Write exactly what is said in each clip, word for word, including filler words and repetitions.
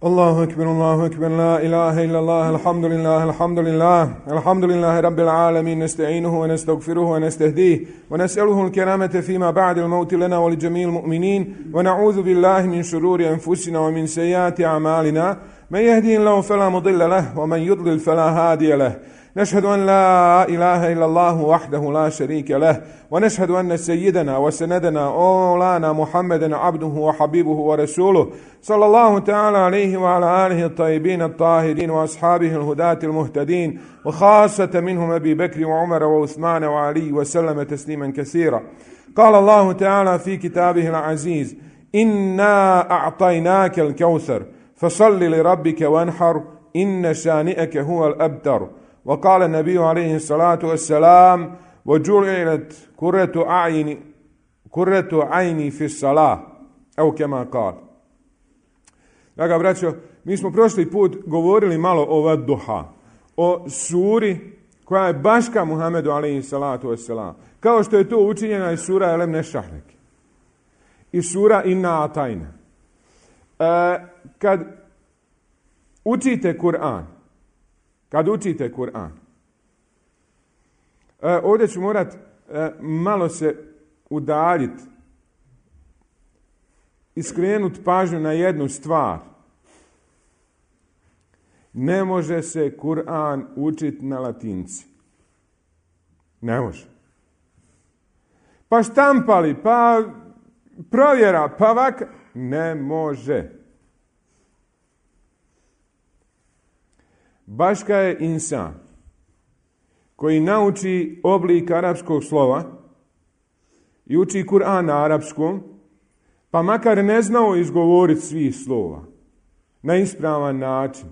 الله أكبر الله أكبر لا إله إلا الله الحمد لله الحمد لله الحمد لله رب العالمين نستعينه ونستغفره ونستهديه ونسأله الكرامة فيما بعد الموت لنا ولجميع المؤمنين ونعوذ بالله من شرور أنفسنا ومن سيئات أعمالنا من يهدي الله فلا مضل له ومن يضلل فلا هادي له نشهد أن لا إله إلا الله وحده لا شريك له ونشهد أن سيدنا وسندنا أولانا محمدا عبده وحبيبه ورسوله صلى الله تعالى عليه وعلى آله الطيبين الطاهرين وأصحابه الهداة المهتدين وخاصة منهم أبي بكر وعمر وعثمان وعلي وسلم تسليما كثيرا. قال الله تعالى في كتابه العزيز: إنا أعطيناك الكوثر فصل لربك وانحر إن شانئك هو الأبتر. وقال النبي عليه الصلاة والسلام: وجعلت قرة عيني قرة عيني في الصلاة أو كما قال. Draga braćo, mi smo prošli put govorili malo o Wadduha, o suri koja je baška Muhammedu alejhi salatu vesselam, kao što je to učinjena i sura Elem Nešrah i sura Inna Atajna. E, kad učite Kur'an, Kad učite Kur'an, e, ovdje ću morat e, malo se udaljiti i skrenuti pažnju na jednu stvar. Ne može se Kur'an učiti na latinci. Ne može. Pa štampali, pa provjera, pa vaka. Ne može. Baška je insan koji nauči oblik arapskog slova i uči Kur'an na arapskom, pa makar ne znao izgovoriti svih slova na ispravan način,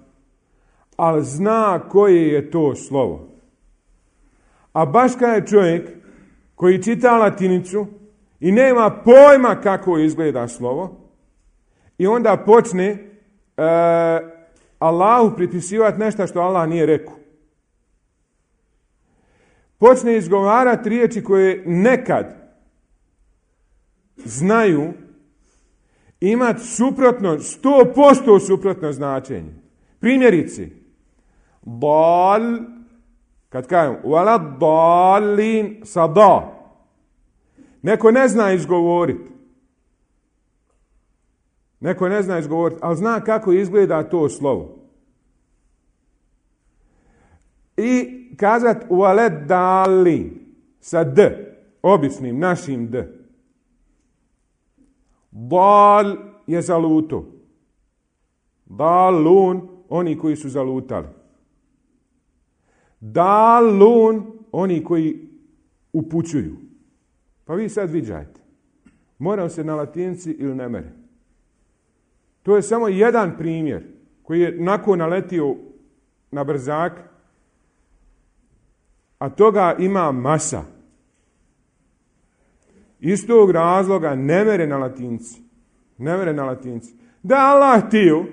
ali zna koje je to slovo. A baška je čovjek koji čita latinicu i nema pojma kako izgleda slovo i onda počne e, Allahu pripisivati nešto što Allah nije rekao. Počne izgovarati riječi koje nekad znaju imati suprotno, sto posto suprotno značenje. Primjerice, dal, kad kažem, wala dalin sa da. Neko ne zna izgovoriti. Neko ne zna izgovoriti, ali zna kako izgleda to slovo. I kazat ualet dali sa d, običnim, našim d. Dal je zaluto. Dalun, oni koji su zalutali. Dalun, oni koji upućuju. Pa vi sad viđajte. Moram se na latinci ili ne mere. To je samo jedan primjer koji je nakon naletio na brzak, a toga ima masa. Iz tog razloga ne mere na latinci. Ne mere na latinci. Da Allah htio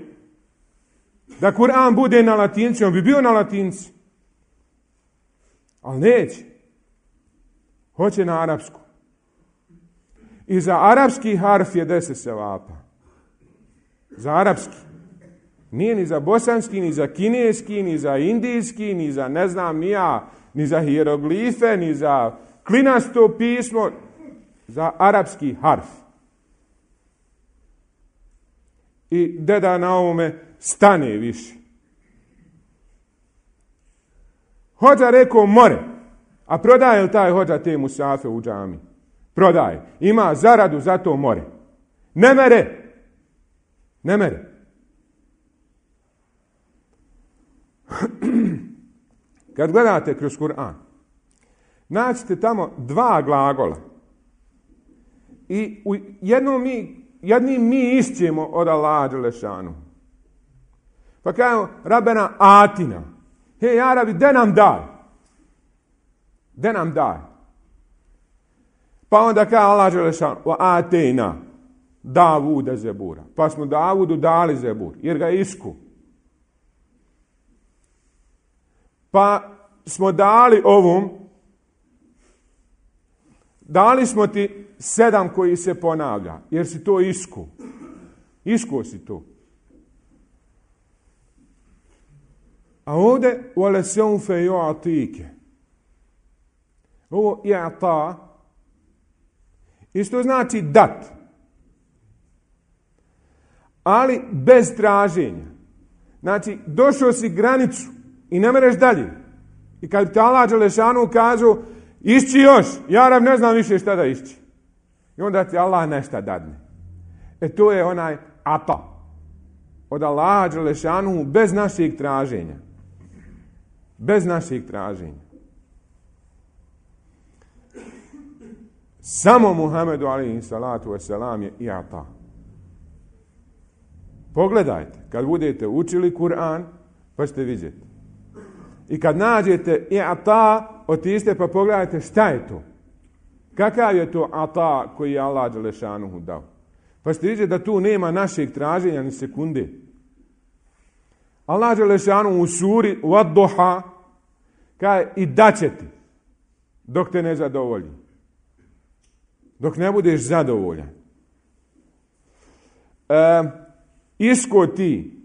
da Kur'an bude na latinci, on bi bio na latinci. Ali neće. Hoće na arapsku. I za arapski harf je deset sevapa. Za arapski. Nije ni za bosanski, ni za kineski, ni za indijski, ni za ne znam ni ja, ni za hieroglife, ni za klinasto pismo. Za arapski harf. I deda na ovome stane više. Hođa rekao more. A prodaje li taj hođa te musafe u džami? Prodaje. Ima zaradu za to more. Ne mere. Ne mere. Kad gledate kroz Kur'an, naćete tamo dva glagola. I u jednom mi, jednim mi išćemo od Allaha dželešanu. Pa kažemo, Rabbena atina. Hej, Arabi, de nam daj. De nam daj. Pa onda kaže Allah dželešanu, wa atejna Davuda zebura. Pa smo Davudu dali zebur, jer ga isku. Pa smo dali ovom, dali smo ti sedam koji se ponavlja, jer si to isku. Iskuo si to. A ovdje وَلَسَوْفَ يُعْطِيكَ. Ovo i'ta isto znači dat. Ali bez traženja. Znači, došao si granicu i ne mereš dalje. I kad ti Allah dželešanu kažu išći još, ja rab ne znam više šta da išći. I onda ti Allah nešto dadne. E to je onaj ata. Od Allaha dželešanu bez našeg traženja. Bez našeg traženja. Samo Muhammedu alejhi salatu vesselam je i'ta. Pogledajte, kad budete učili Kur'an, pa ćete vidjeti. I kad nađete i'ta, otiđite pa pogledajte šta je to. Kakav je to ata koji je Allah dželešanuhu dao. Pa ćete vidjeti da tu nema našeg traženja ni sekunde. Allah dželešanuhu u suri Wadduha kaže i daće ti dok te ne zadovolji. Dok ne budeš zadovoljan. E, isko ti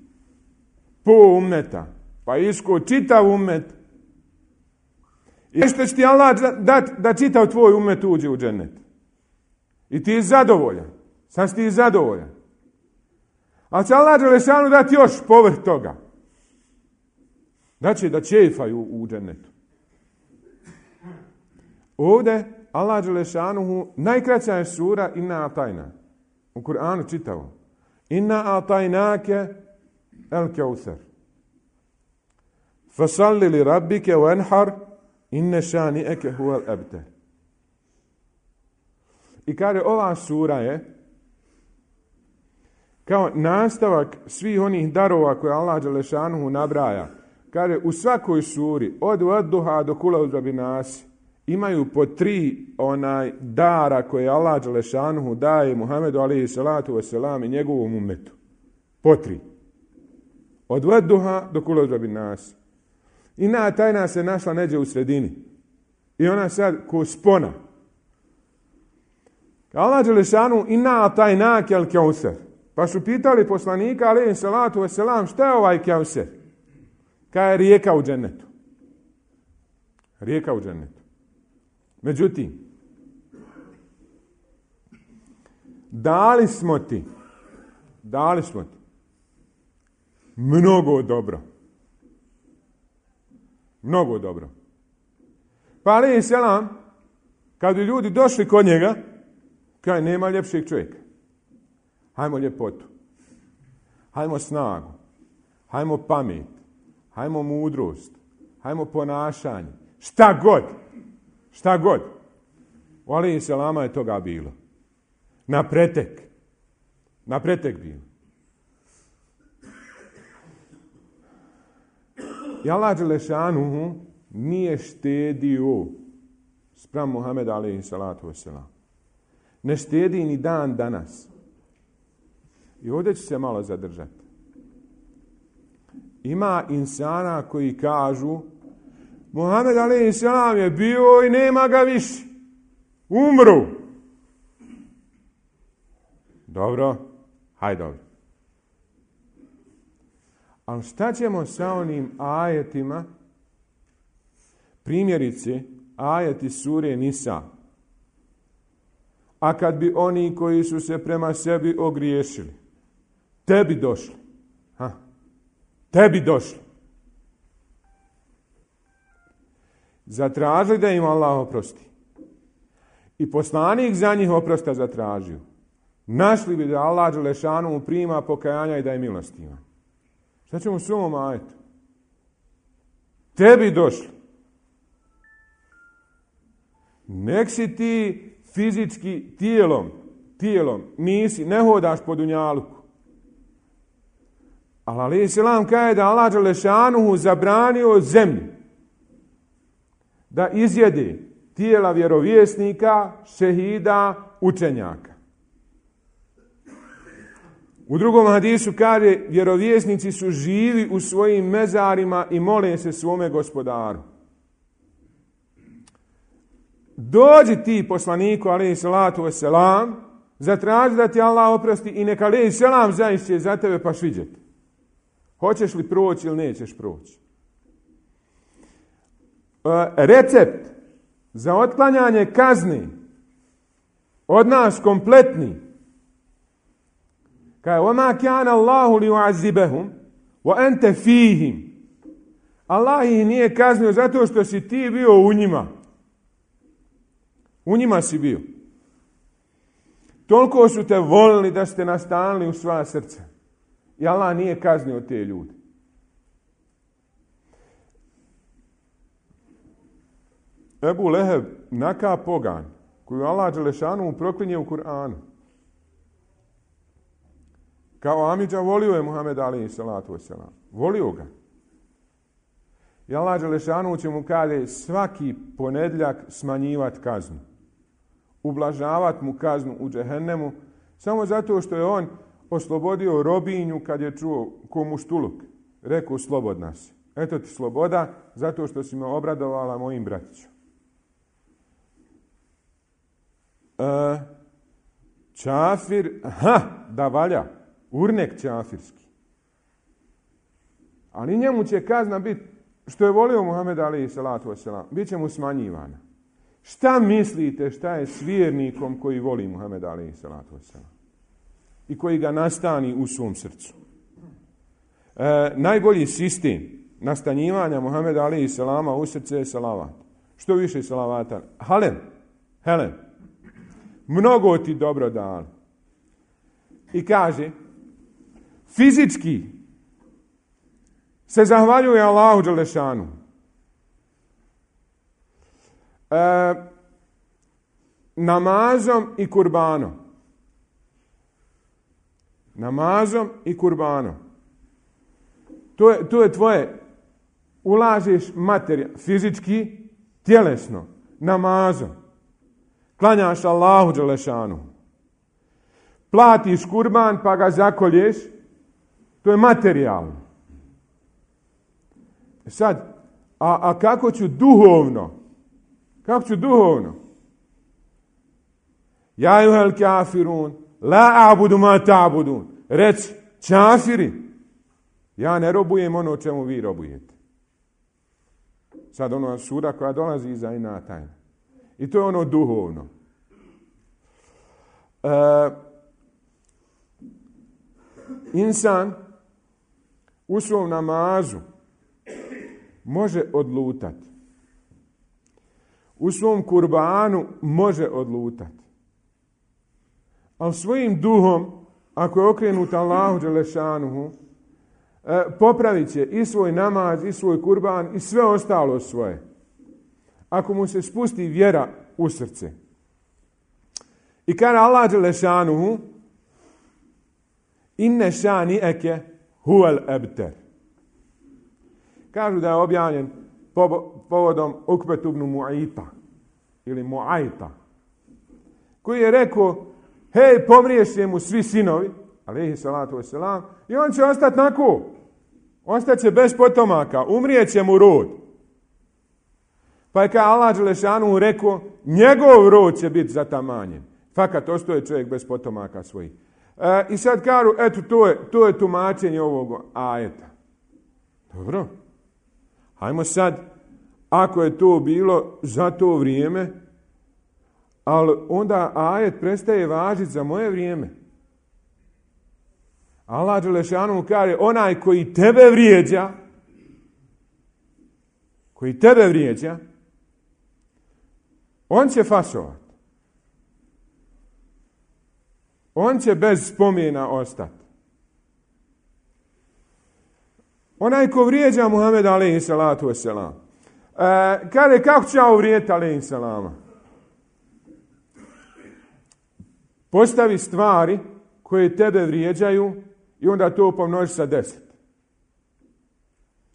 po ummeta, pa isko čitav ummet. I što će ti Allah dati da čitav tvoj ummet uđe u džennet. I ti je zadovoljan. Sam si ti zadovoljan. Ali će Allah dželešanu dati još povrh toga. Da će da čefaju u džennetu. Ovdje Allah dželešanuhu, najkraća je sura Inna atajna. U Kur'anu čitavo. Inna atajnake el keusar. Fasalli li rabbike wanhar inne šani'eke huvel abtar. I kaže ova sura je kao nastavak svih onih darova koje Allah dželešanuhu nabraja. Kaže u svakoj suri od Wadduha do Kul a'udhu birabbin nas imaju po tri onaj dara koje Allah dželešanuhu daje Muhammedu alejhi salatu vesselam i njegovom ummetu. Po tri. Od Wadduha do Kul a'udhu birabbin nas. Inna tajna se našla neđe u sredini. I ona sad ko spona. Allah dželešanuhu inna tajnake el keusar. Pa su pitali poslanika alejhi salatu vesselam šta je ovaj keusar? Kaj je rijeka u džennetu. Rijeka u džennetu. Međutim, dali smo ti, dali smo ti mnogo dobro. Mnogo dobro. Pa alejhi selam, kad bi ljudi došli kod njega, kaj nema ljepšeg čovjeka. Hajmo ljepotu. Hajmo snagu. Hajmo pamet. Hajmo mudrost. Hajmo ponašanje. Šta god. Šta god. U alejhi selama je toga bilo. Na pretek. Na pretek bilo. I Allah dželešanuhu nije štedio spram Muhameda alejhi salatu vesselam. Ne štedi ni dan danas. I ovdje ću se malo zadržati. Ima insana koji kažu Muhammed alejhi selam je bio i nema ga više. Umru. Dobro, hajde dobro. Ali šta ćemo sa onim ajetima? Primjerice, ajeti sure Nisa. A kad bi oni koji su se prema sebi ogriješili, tebi došli. Ha? Tebi došli. Zatražili da im Allah oprosti. I poslanik za njih oprosta zatražio. Našli bi da Allah dželešanu prima pokajanja i da je milostiva. Šta ćemo s ovom ajetu? Tebi došli. Nek si ti fizički tijelom, tijelom, nisi, ne hodaš po dunjaluku. Ali alejhi selam kaže da Allah dželešanuhu zabranio zemlji da izjede tijela vjerovjesnika, šehida, učenjaka. U drugom hadisu kaže vjerovjesnici su živi u svojim mezarima i mole se svome gospodaru. Dođi ti poslaniku alejhi salatu vesselam, zatraži da ti Allah oprosti i neka alejhi selam zaišće za tebe pa šviđeti. Hoćeš li proći ili nećeš proći? recept za otklanjanje kazni od nas kompletni. Kaže, وَمَا كَانَ اللَّهُ لِيُعَذِّبَهُمْ وَأَنْتَ فِيهِمْ. Allah ih nije kaznio zato što si ti bio u njima. U njima si bio. Toliko su te volili da ste nastanili u svoja srca. I Allah nije kaznio te ljude. Ebu Leheb, naka pogan, koju Allah Đelešanu proklinje u Kur'anu. Kao Amidža volio je Muhammed alejhi salatu vesselam. Volio ga. I Allah Đelešanu će mu kaže svaki ponedjeljak smanjivati kaznu. Ublažavati mu kaznu u džehennemu samo zato što je on oslobodio robinju kad je čuo ko muštuluk. Rekao slobodna si. Eto ti sloboda zato što si me obradovala mojim bratićom. E, čafir, ha, da valja. Urnek čafirski. Ali njemu će kazna biti što je volio Muhammed alejhi salatu vesselam, bit će mu smanjivana. Šta mislite šta je s vjernikom koji voli Muhammed alejhi salatu vesselam i koji ga nastani u svom srcu? E, najbolji sistem nastanjivanja Muhammeda alejhi selama u srce je salavat. Što više salavata? Halen, Helen, mnogo ti dobro dali. I kaže, fizički se zahvaljuje Allahu Đelešanu. E, namazom i kurbanom. Namazom i kurbanom. To je, to je tvoje, ulažeš materija, fizički, tjelesno, namazom. Klanjaš Allahu Đelešanu. Platiš kurban pa ga zakolješ, to je materijalno. Sad, a, a kako ću duhovno? Kako ću duhovno? Ja juhel kafirun, la abudu ma ta'budun. Reci, čafiri, ja ne robujem ono čemu vi robujete. Sad ono sura koja dolazi iza ina tajna. I to je ono duhovno. E, insan u svom namazu može odlutati. U svom kurbanu može odlutati. Ali svojim duhom, ako je okrenut Allahu Đelešanuhu, popravit će i svoj namaz, i svoj kurban, i sve ostalo svoje. Ako mu se spusti vjera u srce. I kada Allah Đelešanuhu, inne šani eke huvel ebter. Kažu da je objavljen povodom Ukbetu ibn Mu'ayta ili Mu'ayta, koji je rekao, hej, pomriješće mu svi sinovi, alejhi salatu vesselam, i on će ostati nako. Ostaće bez potomaka, umrijeće mu rod. Pa je kao Allah Đelešanu rekao, njegov rod će biti zatamanjen. Fakat ostaje čovjek bez potomaka svojih. E, I sad kažu, eto, to je, to je tumačenje ovog ajeta. Dobro. Hajmo sad, ako je to bilo za to vrijeme, ali onda ajet prestaje važiti za moje vrijeme. Allah Đelešanu kaže, onaj koji tebe vrijeđa, koji tebe vrijeđa, on će fasovati. On će bez spomena ostati. Onaj ko vrijeđa Muhameda alejhi salatu vesselam. E, kaže, kako će ja uvrijediti alejhi salama? Postavi stvari koje tebe vrijeđaju i onda to pomnoži sa deset.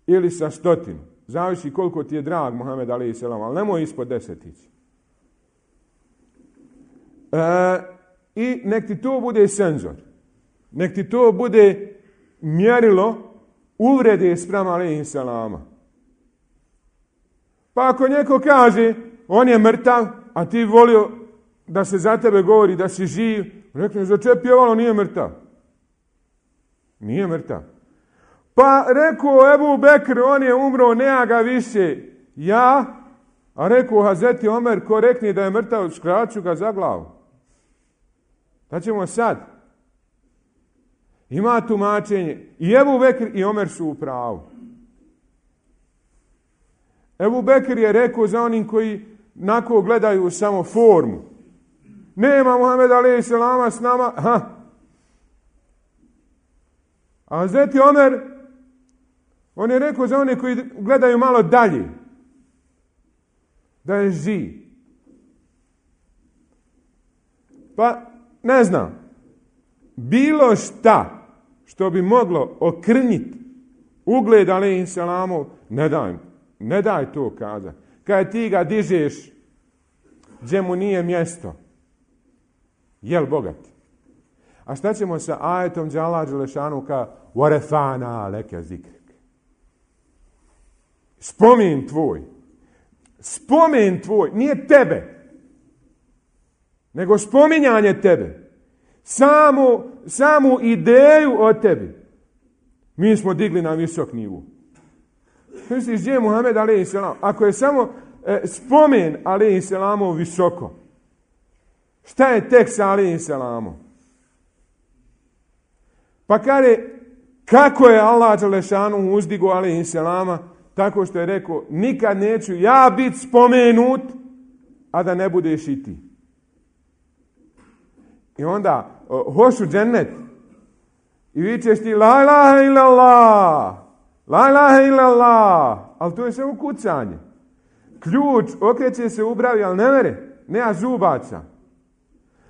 Ili sa stotinu. Zavisi koliko ti je drag Muhammed alejhi selam, ali nemoj ispod deset ići. E, I nek ti to bude senzor. Nek ti to bude mjerilo uvrede spram alejhi selama. Pa ako neko kaže, on je mrtav, a ti volio da se za tebe govori da si živ, rekne, za čep pjevalo, nije mrtav. Nije mrtav. Pa rekao Ebu Bekr, on je umro, nema ga više. Ja, a rekao Hazreti Omer, ko rekne da je mrtav, skraću ga za glavu. Da ćemo sad. Ima tumačenje. I Ebu Bekr i Omer su u pravu. Ebu Bekr je rekao za onim koji nako gledaju samo formu. Nema Muhammed alejhi selama s nama. Ha. A Hazreti Omer, on je rekao za one koji gledaju malo dalje. Da je živ. Pa, ne znam. Bilo šta što bi moglo okrnjiti ugled alejhi selamov, ne daj, ne daj to kazati. Kad ti ga dižeš gdje mu nije mjesto, jel bogat? A šta ćemo sa ajetom gdje Allah dželešanu ka warefana leke zikrek? Spomen tvoj. Spomen tvoj. Nije tebe. Nego spominjanje tebe. Samu, samu ideju o tebi. Mi smo digli na visok nivo. Misliš gdje je Muhammed alejhi selam? Ako je samo e, spomen alejhi selamov visoko. Šta je tek sa alejhi selamom? Pa kaže, kako je Allah dželešanu uzdigo alejhi selama, tako što je rekao, nikad neću ja biti spomenut, a da ne budeš i ti. I onda, hoću džennet. I vičeš ti, la ilaha illallah, la ilaha illallah. Ali to je samo kucanje. Ključ okreće se u bravi, ali ne mere. Nema zubaca.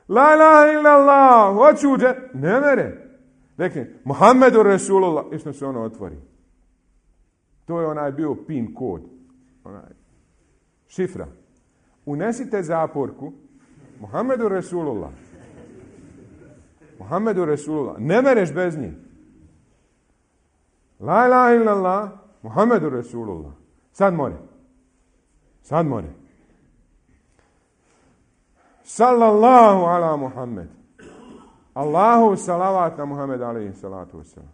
La ilaha illallah, hoću džennet. Ne mere. Rekne, Muhammedu Rasulullah. I što se ono otvori. To je onaj bio pin kod. Onaj. Šifra. Unesite zaporku. Muhammedu Rasulullah. Muhammedu Rasulullah. Ne mereš bez njih. La ilaha illallah. Muhammedu Rasulullah. Sad more. Sad more. Sallallahu ala Muhammed. Allahu salavat na Muhammed alaihi salatu wasalam.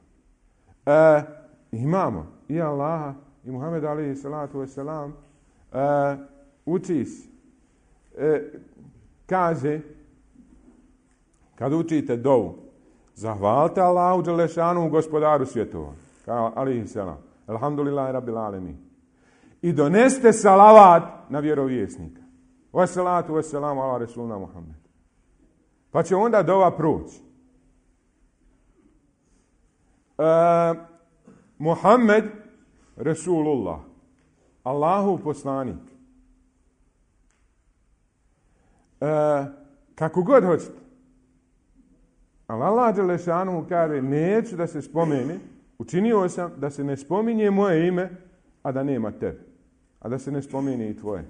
E, imamo i Allaha i Muhammed alaihi salatu wasalam. E, uči se. E, kaže, kad učite dovu, zahvalite Allahu dželešanu gospodaru svjetova. Kao alaihi salam. Alhamdulillahi rabbil alemin. I doneste salavat na vjerovjesnika. Wassalatu wassalamu ala rasulina Muhammed. Pa će onda dova proći. E, Muhammed Rasulullah. Allahu poslanik. E, kako god hoćete. Ali Allah dželešanu kaže, neću da se spomene, učinio sam da se ne spominje moje ime, a da nema tebe. A da se ne spomene i tvoje.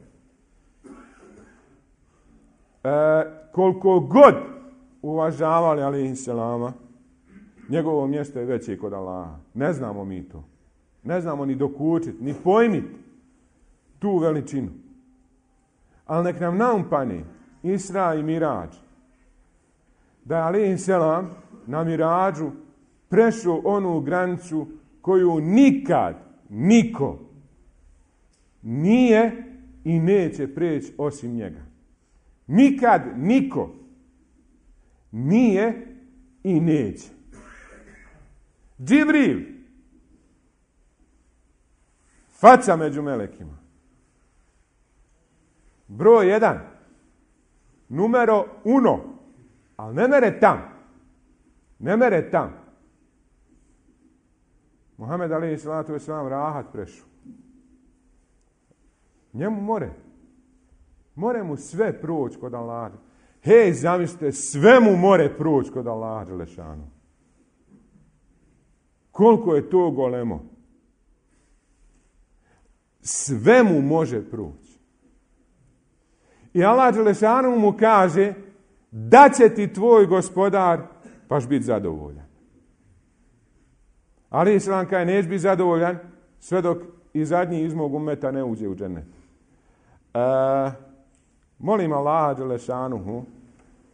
E, koliko god uvažavali alejhi selama, njegovo mjesto je veće kod Allaha. Ne znamo mi to. Ne znamo ni dokučiti, ni pojmiti tu veličinu. Ali nek nam naumpane Isra i Mirađ. Da je alejhi selam na Mirađu prešao onu granicu koju nikad niko nije i neće preći osim njega. Nikad niko nije i neće. Džibril, faca među melekima. Broj jedan, numero uno, ali ne mere tam. Ne mere tam. Muhammed alejhi salatu vesselam rahat prešu. Njemu more. More mu sve proći kod Allaha. Hej, zamislite, sve mu more proći kod Allaha dželešanu. Koliko je to golemo. Sve mu može proći. I Allah dželešanu mu kaže, da će ti tvoj gospodar paš biti zadovoljan. Ali Islam kaže, neće biti zadovoljan sve dok i zadnji iz mog ummeta ne uđe u džennet. E, molim Allaha dželešanuhu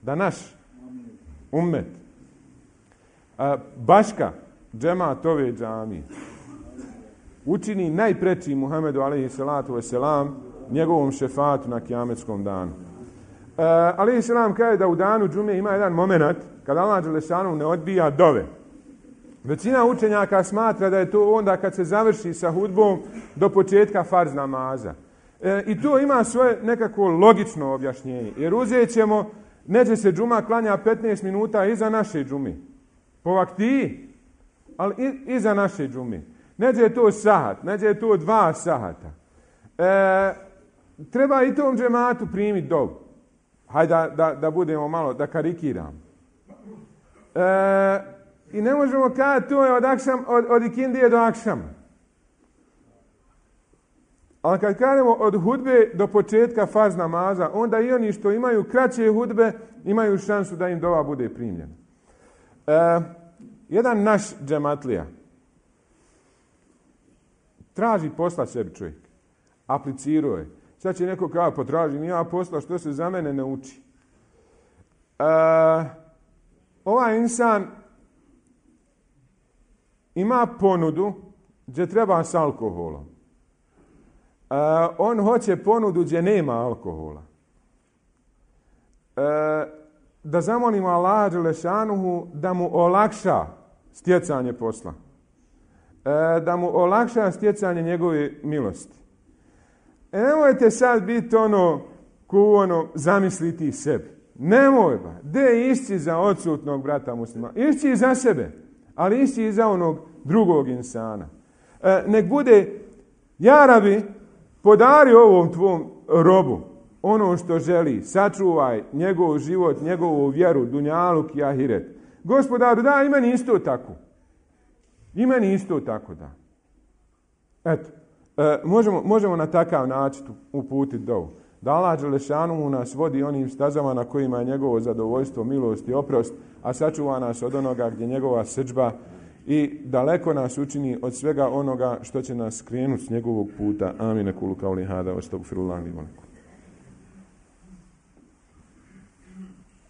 da naš ummet, e, baška, džemat ove džamije, učini najpreći Muhammedu alejhi salatu vesselam njegovom šefatu na kijametskom danu. Uh, alejhi selam kaže da u danu džume ima jedan moment kada Allah dželešanu ne odbija dove. Većina učenjaka smatra da je to onda kad se završi sa hudbom do početka farz namaza. E, I to ima svoje nekako logično objašnjenje. Jer uzet ćemo, neće se džuma klanja petnaest minuta iza naše džumi. Po vaktiji, ali iza naše džumi. Neće je to sahat, neće je to dva sahata. E, treba i tom džematu primiti dovu. Hajde da, da, da budemo malo, da karikiramo. E, I ne možemo kada to je od, akšam, od, od ikindije do akšama. Ali kad kažemo od hudbe do početka farz namaza, onda i oni što imaju kraće hudbe imaju šansu da im dova bude primljena. E, jedan naš džematlija traži posla sebi čovjek. Aplicirao je. Sad će neko kao potražim ja posla što se za mene ne uči. E, ovaj insan ima ponudu gdje treba s alkoholom. Uh, on hoće ponudu gdje nema alkohola. Uh, da zamolimo Allaha dželešanuhu da mu olakša stjecanje posla. Uh, da mu olakša stjecanje njegove milosti. E, nemojte sad biti ono ko ono zamisliti sebi. Nemoj ba. De išći za odsutnog brata muslima. Išći za sebe. Ali išći i za onog drugog insana. E, nek bude, ja Rabi, podari ovom tvom robu ono što želi. Sačuvaj njegov život, njegovu vjeru, dunjaluk i ahiret. Gospodaru, da, i meni isto tako. I meni isto tako, da. Eto, e, možemo, možemo na takav način uputiti dovu. Da Allah dželešanuhu nas vodi onim stazama na kojima je njegovo zadovoljstvo, milost i oprost, a sačuva nas od onoga gdje njegova srdžba i daleko nas učini od svega onoga što će nas skrenuti s njegovog puta. Amin. Kulu kauli hada, astagfirullah li wa lakum.